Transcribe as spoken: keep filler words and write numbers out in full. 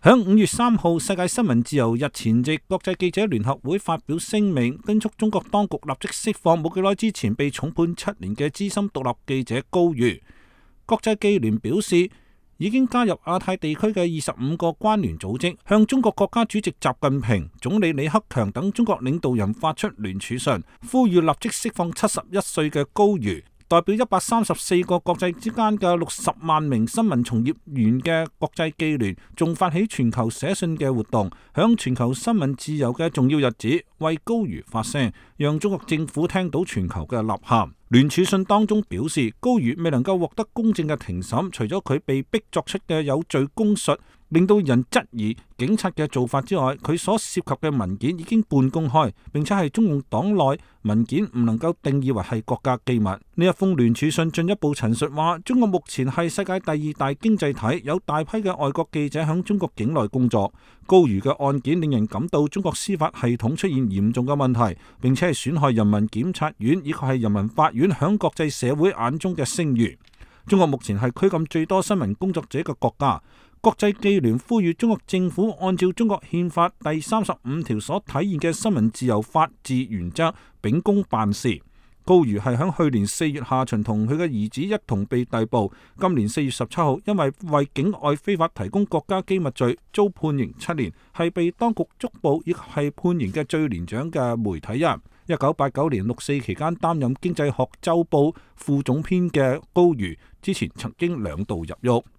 響五月三號，世界新聞自由日前夕，國際記者聯合會發表聲明，敦促中國當局立即釋放冇幾耐之前被重判七年嘅資深獨立記者高瑜。國際記聯表示，已經加入亞太地區嘅二十五個關聯組織，向中國國家主席習近平、總理李克強等中國領導人發出聯署信，呼籲立即釋放七十一歲嘅高瑜。代表一百三十四個國際之間嘅六十萬名新聞從業員嘅國際記聯，仲發起全球寫信嘅活動，響全球新聞自由嘅重要日子為高瑜發聲，讓中國政府聽到全球嘅吶喊。聯署信當中表示，高瑜未能夠獲得公正嘅庭審，除咗佢被逼作出嘅有罪供述令到人質疑警察嘅做法之外，佢所涉及嘅文件已經半公開，並且係中共黨內文件唔能夠定義為係國家機密。呢一封聯署信進一步陳述話，中國目前係世界第二大經濟體，有大批嘅外國記者響中國境內工作。高瑜嘅案件令人感到中國司法系統出現嚴重嘅問題，並且係損害人民檢察院以及係人民法院響國際社會眼中嘅聲譽。中國目前係拘禁最多新聞工作者嘅國家。國際記聯呼籲中國政府按照中國憲法第三十五條所體現嘅新聞自由法治原則，秉公辦事。高瑜係響去年四月下旬同佢嘅兒子一同被逮捕，今年四月十七號因為為境外非法提供國家機密罪遭判刑七年，係被當局捉捕亦係判刑嘅最年長嘅媒體人。一九八九年六四期間擔任經濟學週報副總編嘅高瑜，之前曾經兩度入獄。